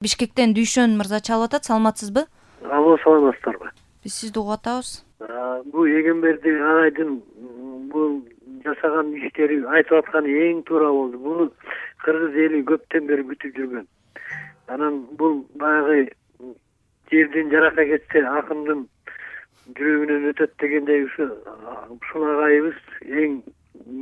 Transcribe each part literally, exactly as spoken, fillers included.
Бишкектен Дүйшөн мырза чалып атат. Саламатсызбы? Алло, саламатсыздарбы? Биз сизди угуп атабыз. Бул Эгемберди агайдын бул жасаган иштери айтып атканы эң туура болду. Буну кыргыз эли көптөн бери күтүп жүргөн. Анан бул баягы жерден жарака кетсе акындын жүрөгүнөн өтөт дегендей ушу ушул агайыбыз эң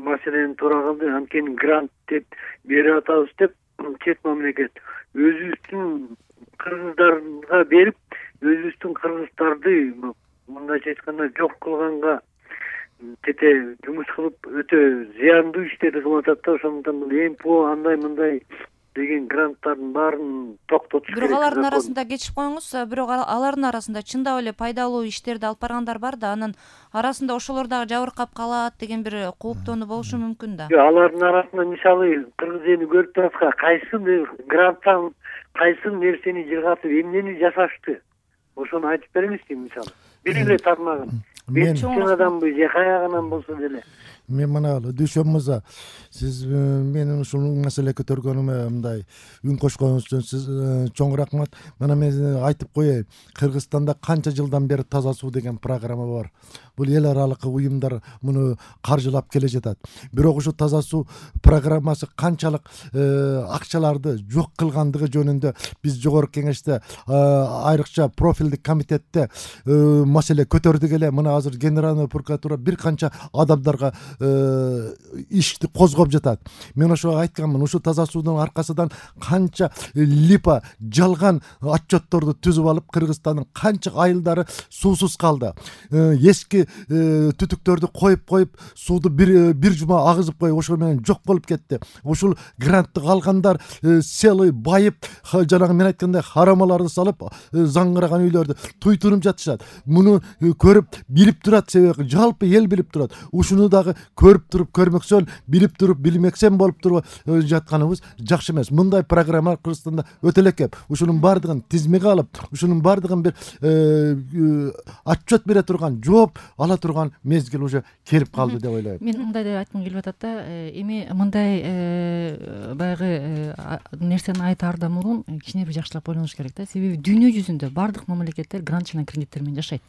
маселени туура кылды. Анткени грант деп берип атабыз деп чет мамлекет өзүбүздүн кыргыздарга берип, өзүбүздүн кыргыздарды мындайча айтканда жок кылганга тете жумуш кылып өтө зыяндуу иштерди кылып атат да. Ошондуктан бул МПО андай мындай деген гранттардын баарын токтотуш керек. Бирок алардын арасында кечип коюңуз, бирок алардын арасында чындап эле пайдалуу иштерди алып баргандар бар да, анын арасында ошолор дагы жабыркап калат деген бир кооптонуу болушу мүмкүн да. Алардын арасында мисалы кыргыз эли көрүп турат, кайсы гранттан кайсы нерсени жыргатып эмнени жасашты. Ошону айтып беремизби мисалы? Бир эле тармагын. Мен чоң адамбы же каягынан болсо деле. Мен мына Дүйшөн мырза, сиз менин ушул маселе көтөргөнүмө мындай үн кошконуңуз үчүн сиз чоң рахмат. Мына мен айтып коеюн, Кыргызстанда канча жылдан бери Таза суу деген программа бар. Бул эл аралык уюмдар муну каржылап келе жатат. Бирок ушу Таза суу программасы канчалык акчаларды жок кылгандыгы жөнүндө биз жогорку кеңеште, айрыкча профилдик комитетте маселе көтөрдүк эле. Мына азыр Генеральный прокуратура бир канча адамдарга ишти козгоп жатат. Мен ошого айтканмын, ушу Таза суудун аркасынан канча липа жалган отчетторду түзүп алып, Кыргызстандын канча айылдары суусуз калды. Эски түтүктөрдү коюп коюп, сууду бир бир жума агызып коюп, ошол менен жок болуп кетти. Ушул грантты алгандар селый байып, жанагы мен айткандай харамаларды салып, заңгыраган үйлөрдү туйтуруп жатышат. Муну көрүп, билип турат, себеби жалпы эл билип турат. Ушуну дагы көрүп туруп, көрмөксөн, билип туруп, билмексен болуп туруп жатканыбыз жакшы эмес. Мындай программа Кыргызстанда өтө эле көп. Ушунун бардыгын тизмеге алып, ушунун бардыгын бир отчет бере турган, жооп ала турган мезгил уже келип калды деп ойлойм. Мен мындай деп айткым келип атат да, эми мындай баягы нерсени айтаардан мурун кичине бир жакшылап ойлонуш керек да. Себеби дүйнө жүзүндө бардык мамлекеттер грант жана кредиттер менен жашайт.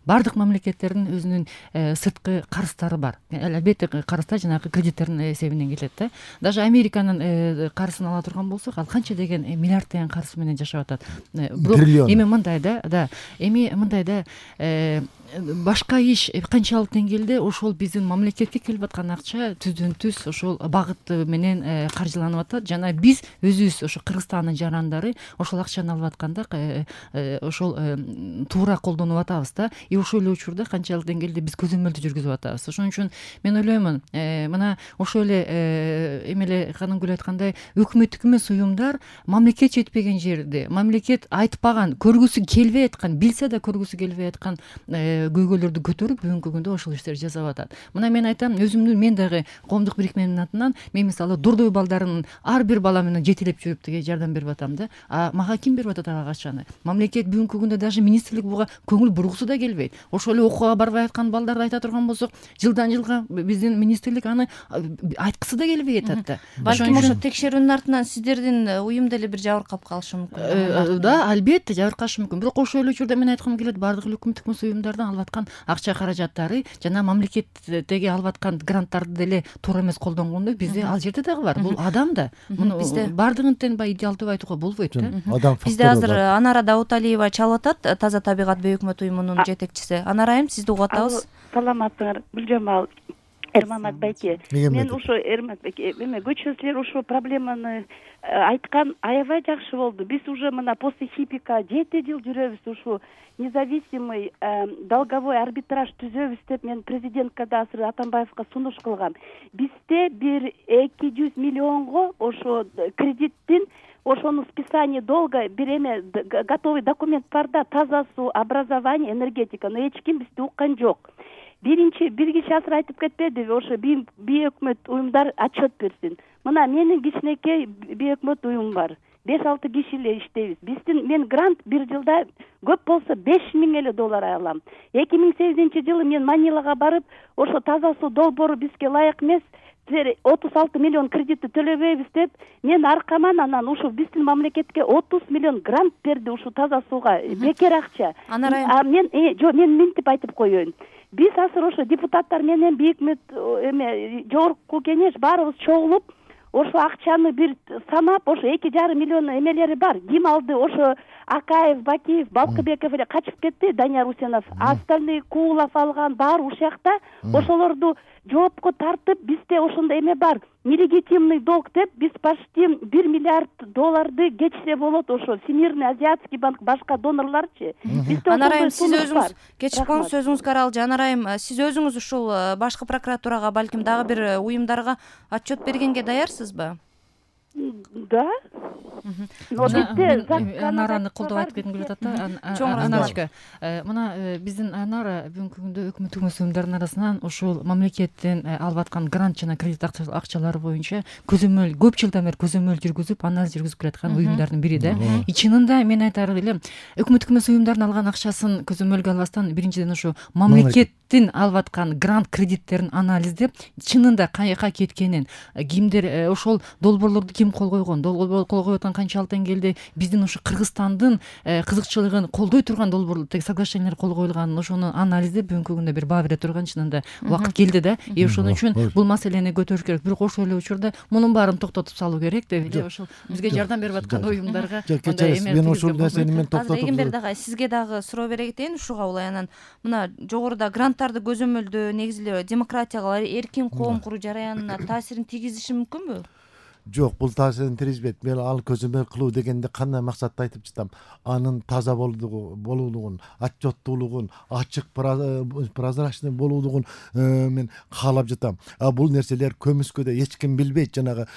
Бардык мамлекеттердин өзүнүн сырткы карыздары бар. Албетте карыздар жанагы кредиттердин эсебинен келет да. Даже Американын карызын ала турган болсок, ал канча деген миллиарддаган карыз менен жашап атат. Бирок эми мындай да, да, эми мындай да, башка иш канчалык деңгээлде ошол биздин мамлекетке келип аткан акча түздөн түз ошол багыт менен каржыланып атат. Жана биз өзүбүз ошо Кыргызстандын жарандары ошол акчаны алып атканда ошол туура колдонуп атабыз да. И ошол эле учурда канчалык деңгээлде биз көзөмөлдү жүргүзүп атабыз. Ошон үчүн мен ойлоймун, мына ошол эле эмеле Канымгүл айткандай, өкмөттүк эмес уюмдар мамлекет жетпеген жерде, мамлекет айтпаган, көргүсү келбей аткан, билсе да көргүсү келбей аткан көйгөйлөрдү көтөрүп бүгүнкү күндө ошол иштерди жасап атат. Мына мен айтам, өзүмдүн мен дагы коомдук бирикменин атынан мен мисалы Дордой балдарынын ар бир бала менен жетелеп жүрүп деге жардам берип атам да. А мага ким берип атат ага акчаны? Мамлекет бүгүнкү күндө даже министрлик буга көңүл бургусу да келбейт. Ошол эле окууга барбай аткан балдарды айта турган болсок, жылдан жылга биздин министрлик аны айткысы да келбей атат да. Балким ошо текшерүүнүн артынан сиздердин уюм деле бир жабыркап калышы мүмкүн. Да, албетте жабыркашы мүмкүн. Бирок ошол эле учурда мен айткым келет, бардык өкмөттүк эмес уюмдардан алып аткан акча каражаттары жана мамлекеттеги алып аткан гранттарды деле туура эмес колдонгондо бизде ал жерде дагы бар. Бул адам да. Муну бардыгын тең баягы идеалдуу айтууга болбойт да. Бизде азыр Анара Дауталиева чалып атат, Таза табигат бейөкмөт уюмунун жетекчиси. Анара айым, сизди угуп атабыз. Саламатсыңар, Гүлжамал, Эрмамат байке. Мен ошо Эрмамат байке, эме көчөчүлөр ошо проблеманы айткан аябай жакшы болду. Биз уже мына после Хипика жети жыл жүрөбүз, ушу независимый долговой арбитраж түзөбүз деп мен президентке да азыр Атамбаевга сунуш кылгам. Бизде бир эки жүз миллионго ошо кредиттин ошону списание долга бир эме готовый документ бар да, Таза суу, образование, энергетика, но эч ким бизди уккан жок. Биринчи бир киши азыр айтып кетпедиби, ошо бейөкмөт уюмдар отчет берсин. Мына менин кичинекей бейөкмөт уюм бар. беш алты киши эле иштейбиз. Биздин мен грант бир жылда көп болсо беш миң эле доллар алам. эки миң сегизинчи жылы мен Манилага барып, ошо Таза суу долбоору бизге ылайык эмес, силер отуз алты миллион кредитти төлөбөйбүз деп мен аркаман анан ушул биздин мамлекетке отуз миллион грант берди ушул таза сууга, бекер акча. А мен жок, мен мынтип айтып коеюн. Биз азыр ошо депутаттар менен бийик эме жогорку кеңеш баарыбыз чогулуп ошо акчаны бир санап, ошо эки жарым миллион эмелери бар. Ким алды? Ошо Акаев, Бакиев, Балкыбеков эле качып кетти, Данияр Усенов. Остальные Куулов алган баары ушул жакта. Ошолорду жоопко тартып, бизде ошондой эме бар. Нелегитимный долг деп биз почти бир миллиард долларды кечсе болот. Ошо Всемирный Азиатский банк, башка донорларчы. Бизде Анарайым, сиз өзүңүз кечип коюңуз, сөзүңүз каралжы. Анарайым, сиз өзүңүз ушул башкы прокуратурага, балким дагы бир уюмдарга отчет бергенге даярсызбы? Да. Но бизде Анараны колдоп айтып кетким келип атат да. Аначка, мына биздин Анара бүгүнкү күндө өкмөт эмес уюмдардын арасынан ушул мамлекеттен алып аткан грант жана кредит акчалары боюнча көзөмөл көп жылдан бери көзөмөл жүргүзүп, анализ жүргүзүп келаткан уюмдардын бири да. Чынында мен айтар элем, өкмөт эмес уюмдардын алган акчасын көзөмөлгө албастан биринчиден ошо мамлекеттин алып аткан грант кредиттерин анализдеп, чынында каяка кеткенин, кимдер ошол долбоорлорду ким кол койгон, долбоор кол коюп аткан канчалык деңгээлде биздин ушу Кыргызстандын кызыкчылыгын колдой турган долбоор соглашениялар кол коюлганын, ошону анализдеп бүгүнкү күндө бир баа бере турган чынында убакыт келди да. И ошон үчүн бул маселени көтөрүш керек. Бирок ошол эле учурда мунун баарын токтотуп салуу керек деп эле ошол бизге жардам берип аткан уюмдарга мен ошол нерсени мен токтотуп. Эгемберди агай, сизге дагы суроо бере кетейин ушуга улай. Анан мына жогоруда гранттарды көзөмөлдөө негизи эле демократияга, эркин коом куруу жараянына таасирин тийгизиши мүмкүнбү? Жок, бул таасирин тийгизбейт. Мен ал көзөмөл кылуу дегенде кандай максатта айтып жатам? Анын таза болуулугун, отчеттуулугун, ачык, прозрачный болуулугун мен каалап жатам. А бул нерселер көмүскөдө эч ким билбейт, жанагы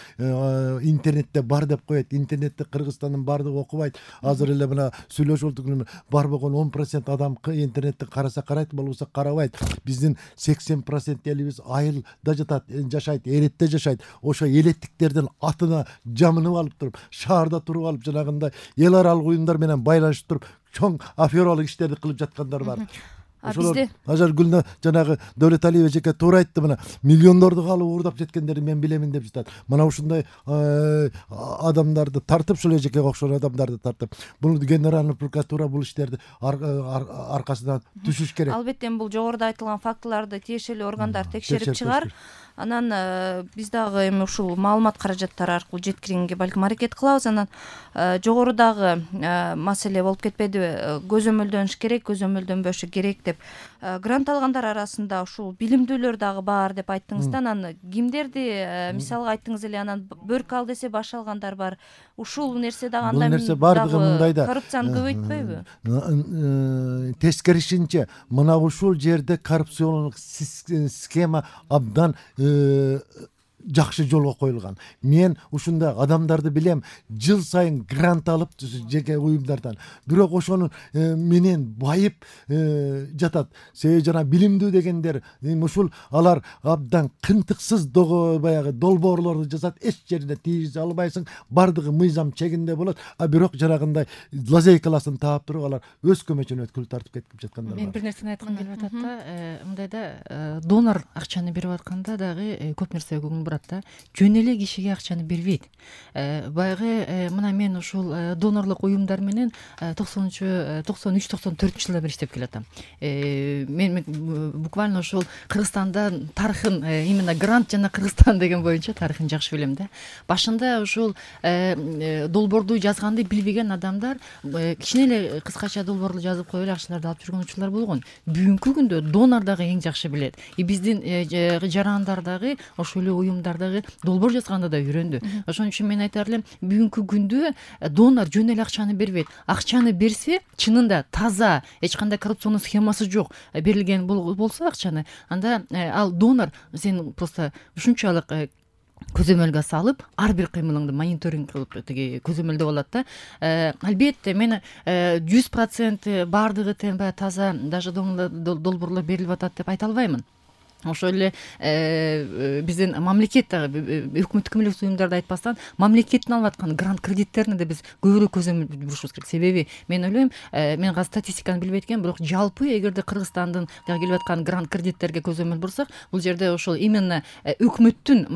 интернетте бар деп коет. Интернетте Кыргызстандын баардыгы окубайт. Азыр эле мына сүйлөшүп бар болгон он процент адам интернетте караса карайт, болбосо карабайт. Биздин сексен процент элибиз айылда жатат, жашайт, эретте жашайт. Ошо элеттиктерден атына жамынып алып туруп, шаарда туруп алып, жанагындай эл аралык уюмдар менен байланышып туруп, чоң афералык иштерди кылып жаткандар бар. Ошолор Ажар Гүлнө жанагы Дөөлөталиева эжеке туура айтты, мына миллиондорду калып уурдап жеткендерди мен билемин деп жатат. Мына ушундай адамдарды тартып, ушул эжекеге окшогон адамдарды тартып, бул генеральный прокуратура бул иштерди аркасынан түшүш керек. Албетте бул жогоруда айтылган фактыларды тиешелүү органдар текшерип чыгар. Анан биз дагы эми ушул маалымат каражаттары аркылуу жеткиргенге балким аракет кылабыз. Анан жогорудагы маселе болуп кетпедиби? Көзөмөлдөнүш керек, көзөмөлдөнбөшү керек деп. Грант алгандар арасында ушул билимдүүлөр дагы бар деп айттыңыз да. Анан кимдерди мисалга айттыңыз эле, анан бөркү ал десе баш алгандар бар. Ушул нерсе дагы андай дагы коррупцияны көбөйтпөйбү? Тескерисинче, мына ушул жерде коррупциондук схема абдан жакшы жолго коюлган. Мен ушундай адамдарды билем, жыл сайын грант алып жеке уюмдардан. Бирок ошонун менен байып жатат. Себеби жана билимдүү дегендер ушул алар абдан кынтыксыз баягы долбоорлорду жасат, эч жерине тийгизе албайсың, бардыгы мыйзам чегинде болот. А бирок жанагындай лазейкаласын таап туруп алар өз көмөчүнө өткүл тартып кетип жаткандар бар. Мен бир нерсени айткым келип атат да, мындайда донор акчаны берип атканда дагы көп нерсе көңүл бурат да. Жөн эле кишиге акчаны бербейт. Баягы мына мен ушул донорлук уюмдар менен токсонунчу токсон үч токсон төртүнчү жылда бери иштеп келатам. Мен буквально ушул Кыргызстандан тарыхын, именно грант жана Кыргызстан деген боюнча тарыхын жакшы билем да. Башында ушул долбоорду жазганды билбеген адамдар кичине эле кыскача долбоорду жазып коюп эле акчаларды алып жүргөн учурлар болгон. Бүгүнкү күндө донор дагы эң жакшы билет. И биздин жарандар дагы ошол эле уюмдар дагы долбоор жазганды да үйрөндү. Ошон үчүн мен айтар элем, бүгүнкү күндө донор жөн эле акчаны бербейт. Акчаны берсе, чынында таза, эч кандай коррупционный схемасы жок берилген болсо акчаны, анда ал донор сен просто ушунчалык көзөмөлгө салып, ар бир кыймылыңды мониторинг кылып тиги көзөмөлдөп алат да. Албетте мен жүз процент баардыгы тең баягы таза даже долбоорлор берилип атат деп айта албаймын. ошол эле биздин мамлекет дагы өкмөттүк эмес уюмдарды айтпастан мамлекеттин алып аткан грант кредиттерине да биз көбүрөөк көзөмөл бурушубуз керек. Себеби мен ойлойм, мен азыр статистиканы билбейт экенмин, бирок жалпы эгерде Кыргызстандын келип аткан грант кредиттерге көзөмөл бурсак, бул жерде ошол именно өкмөттүн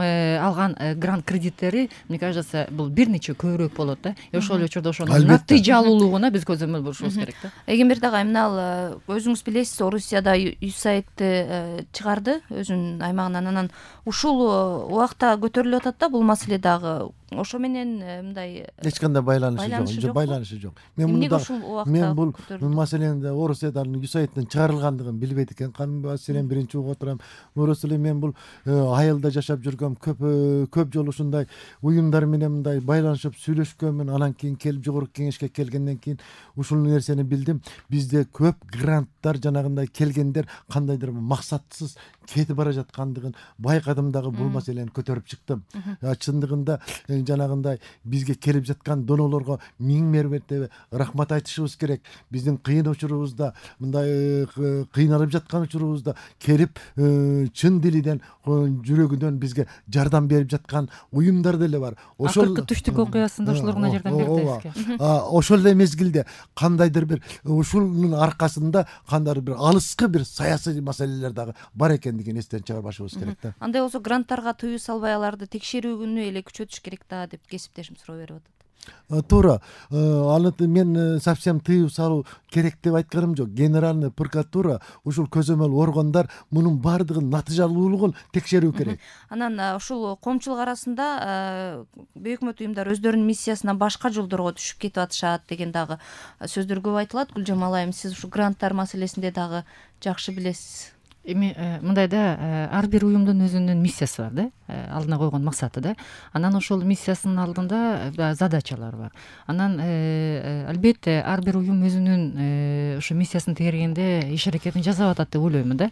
алган грант кредиттери, мне кажется, бул бир нече көбүрөөк болот да. Ошол эле учурда ошонун натыйжалуулугуна биз көзөмөл бурушубуз керек да. Эгемберде агай, мына ал өзүңүз билесиз, Орусияда юсаидти чыгарды өзүнүн аймагынан. Анан ушул убакта көтөрүлүп атат да бул маселе дагы. Ошо менен мындай эч кандай байланышы жок, байланышы жок. Мен мында мен бул маселени Орусиядан юсаидтин чыгарылгандыгын билбейт экен. Кан маселени биринчи угуп отурам. Орус эле мен бул айылда жашап жүргөм, көп көп жолу ушундай уюмдар менен мындай байланышып сүйлөшкөнмүн. Анан кийин келип жогорку кеңешке келгенден кийин ушул нерсени билдим. Бизде көп гранттар жанагындай келгендер кандайдыр максатсыз кетип бара жаткандыгын байкадым дагы бул маселени көтөрүп чыктым. Чындыгында жанагындай бизге келип жаткан донолорго миң мәртебе рахмат айтышыбыз керек. Биздин кыйын учурубузда, мындай кыйналып жаткан учурубузда келип чын дилиден, жүрөгүнөн бизге жардам берип жаткан уюмдар деле бар. Ошол акыркы түштүк окуясында ошолор гана жардам берди. Ошол эле мезгилде кандайдыр бир ушунун аркасында кандайдыр бир алыскы бир саясий маселелер дагы бар экендигин эстен чыгарбашыбыз керек да. Андай болсо гранттарга тыюу салбай аларды текшерүүнү эле күчөтүш керек да деп кесиптешим суроо берип атат. Туура. Аны мен совсем тыюу салуу керек деп айтканым жок. Генеральный прокуратура, ушул көзөмөл органдар мунун баардыгын натыйжалуулугун текшерүү керек. Анан ушул коомчулук арасында бейөкмөт уюмдар өздөрүнүн миссиясынан башка жолдорго түшүп кетип атышат деген дагы сөздөр көп айтылат. Гүлжамал айым, сиз ушул гранттар маселесинде дагы жакшы билесиз. Эми мындай да, ар бир уюмдун өзүнүн миссиясы бар да, алдына койгон максаты да. Анан ошол миссиясынын алдында задачалар бар. Анан албетте ар бир уюм өзүнүн ошо миссиясын тегергенде иш аракетин жасап атат деп ойлоймун да.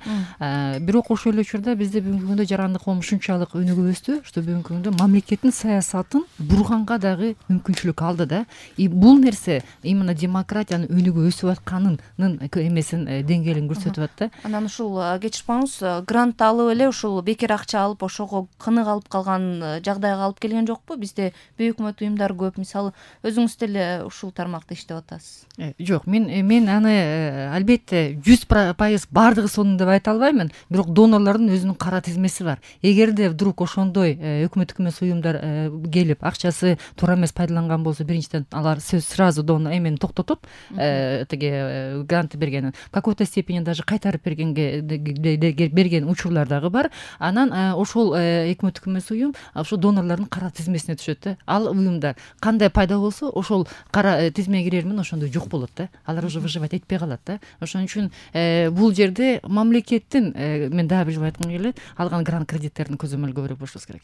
Бирок ошол эле учурда бизде бүгүнкү күндө жарандык коом ушунчалык өнүгүп өстү, что бүгүнкү күндө мамлекеттин саясатын бурганга дагы мүмкүнчүлүк алды да. И бул нерсе именно демократиянын өнүгүп өсүп атканынын эмесин деңгээлин көрсөтүп атат да. Анан ушул кечирпаңыз, грант алып эле ушул бекер акча алып ошого кынык алып калган жагдайга алып келген жокпу? Бизде бейөкмөт уюмдар көп. Мисалы, өзүңүз деле ушул тармакта иштеп атасыз. Жок, мен мен аны албетте жүз пайыз бардыгы сонун деп айта албаймын, бирок донорлордун өзүнүн кара тизмеси бар. Эгерде вдруг ошондой өкмөттүк эмес уюмдар келип акчасы туура эмес пайдаланган болсо, биринчиден алар сразу дон эмени токтотуп, тиги грант бергенин какой-то степени даже кайтарып бергенге берген учурлар дагы бар. Анан ошол өкмөттүк эмес уюм ошол донорлордун кара тизмесине түшөт да. Ал уюмдар кандай пайда болсо, ошол кара тизмеге кирермен ошондой жок болот да. Алар уже выживать этпей калат да. Ошон үчүн бул жерде мамлекеттин, мен дагы бир жолу айткым келет, алган грант кредиттерин көзөмөл көбүрөөк бурушубуз керек.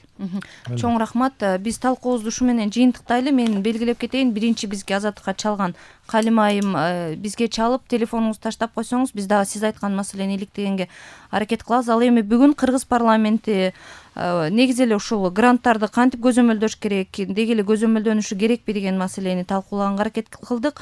Чоң рахмат. Биз талкуубузду ушу менен жыйынтыктайлы. Мен белгилеп кетейин, биринчи бизге азаттыкка чалган Калим айым бизге чалып, телефонуңузду таштап койсоңуз, биз дагы сиз айткан маселени иликтегенге аракет кылабыз. Ал эми бүгүн Кыргыз парламенти негизи эле ушул гранттарды кантип көзөмөлдөш керек, деги эле көзөмөлдөнүшү керекпи деген маселени талкуулаганга аракет кылдык.